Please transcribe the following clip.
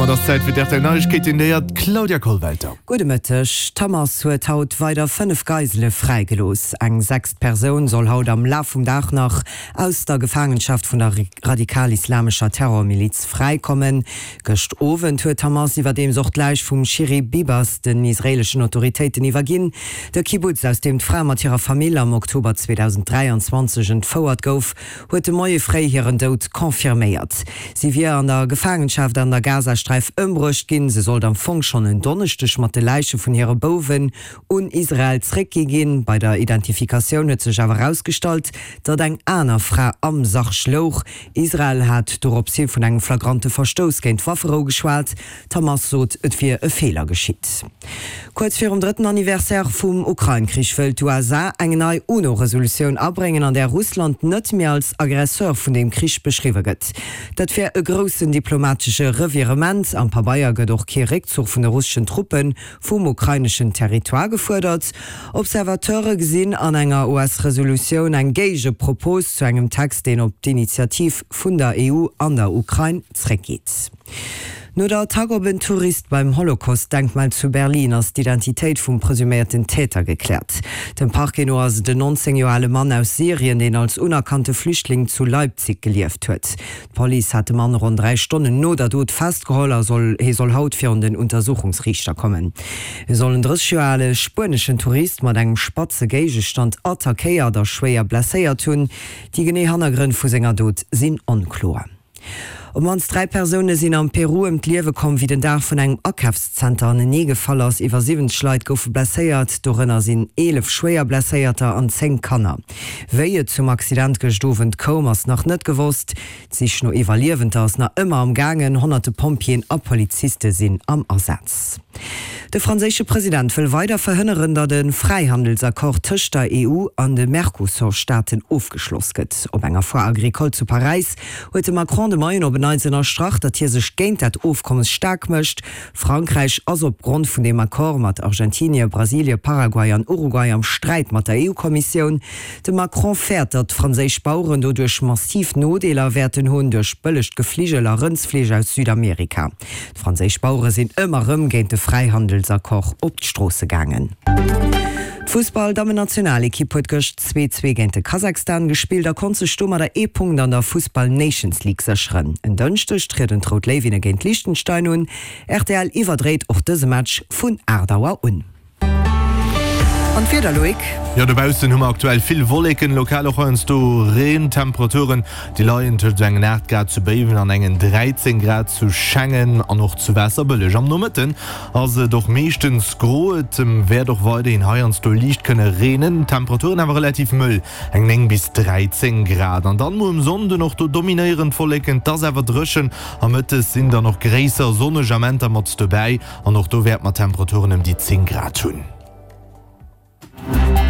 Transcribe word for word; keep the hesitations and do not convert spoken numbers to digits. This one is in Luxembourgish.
domat ass Zäit fir d'RTL Neiegkeeten, déi hat d'Claudia Kollwelter. Gudde Mëtteg. D'Hamas huet haut weider fënnef Geisele fräigelooss. Eng sechst Persoun soll haut am Laf vum Dag nach aus der Gefaangenschaft vun der radikal-islamescher Terrormiliz fräikommen. Gëscht Owend huet d'Hamas iwwerdeems och d'Läich vum Shiri Bibas den israeeleschen Autoritéiten iwwerginn. De Kibbutz, aus deem d'Fra mat hirer Famill am Oktober zweedausend dräianzwanzeg entfouert gouf, huet de Moie fréi hiren Doud confirméiert. Si wier an der Gefaangenschaft an der Gazasträif ëmbruecht ginn. Se sollt am Fong schonn en Donneschdeg mat de Läiche vun hire Bouwen un Israel zréckgi ginn. Bei der Identifikatioun huet sech awer erausgestallt, datt eng aner Fra am Sarg louch. Israel hat dorops hi vun engem flagrante Verstouss géint d'Wafferou geschwat. D'Hamas sot, et wier e Feeler geschitt. Kuerz virum drëtten Anniversaire vum Ukrain-Krich wëll d'USA eng nei UNO-Resolutioun abréngen, an där Russland net méi als Aggresseur vun deem Krich beschriwwe gëtt. Dat wär e groussen diplomatesche Revirement. Am Pabeier gëtt och kee Réckzuch vun de russeschen Truppe vum ukraineschen Territoire gefuerdert. Observateure gesinn an enger U S-Resolutioun eng Géigepropos zu engem Text, deen op d'Initiativ vun der E U an der Ukrain zréckgeet. No der Attack op en Tourist beim Holocaust-Denkmal zu Berlin ass d'Identitéit vum presuméierten Täter gekläert. Dem Parquet no ass et en nonzéng Joer ale Mann aus Syrien, deen als unerkannte Flüchtling zu Leipzig gelieft huet. D'Police hat de Mann ronn dräi Stonnen no der Dot festgeholl a soll hie soll haut virun den Untersuchungsriichter kommen. E soll en drësseg Joer ale spueneschen Tourist mat engem spatze Géigestand attackéiert a schwéier blesséiert hunn. Déi genee Hannergrënn vu senger Dot sinn onkloer. Op d'mannst dräi Persoune sinn am Peru ëm d'Liewe komm, wéi den Daach vun engem Akafszenter anenee gefall ass. Iwwer siwwenzeg Leit goufe blesséiert, dorënner sinn eelef schwéier Blesséierter an zéng Kanner. Wéi et zum Accident gëscht Owend koum, ass nach net gewosst. D'Sich no Iwwerliewender ass nach ëmmer am gaangen. Honnerte Pompjeeën a Poliziste sinn am Asaz. De franséische President wëll weider verhënneren, datt e Fräihandelsaccord tëscht der E U an de Mercosur-Staaten ofgeschloss gëtt. Op enger Foire agricole zu Paräis huet de Macron de Moien op en Neits ënnerstrach, datt hie sech géint dat Ofkommes staark mécht. Frankräich ass op Grond vun deem Accord mat Argentinie, Brasilie, Paraguay an Uruguay am Sträit mat der E U-Kommissioun. De Macron fäert, datt franséisch Baueren doduerch massiv Nodeeler wäerten hunn duerch bëllegt Gefligel a Rëndsfleesch aus Südamerika. D'franséisch Bauere sinn ëmmer erëm géint de Fräihandelsaccord op d'Stroosse gaangen. D'Fussball-Dammennationalekipp huet gëscht zwee zwee géint de Kazakhstan gespillt a konnt sech domadder ee Punkt an der Fussball Nations League sécheren. En Dënschdeg trieden d'Rout Léiwinne géint Liechtenstein un. R T L iwwerdréit och dëse Match vun aacht Auer un. An d'Wieder, Loïc? Jo, dobaussen hu mer aktuell vill Wolleken, lokal och heiansdo Reen. D'Temperaturen, déi leien tëscht esou engen aacht Grad zu Béiwen an engen dräizéng Grad zu Schengen an och zu Waasserbëlleg. Am Nomëtten ass et och meeschtens gro, et wäert och weiderhin heiansdo liicht kënne reenen, d'Temperaturen awer relativ mëll, eng néng bis dräizéng Grad. An dann muer um Sonnden, och do dominéieren d'Wolleken, et ass awer dréchen a mëttes sinn dann och gréisser sonneg Amenter mat dobäi an och do wäerte mer Temperaturen ëm déi zéng Grad hunn.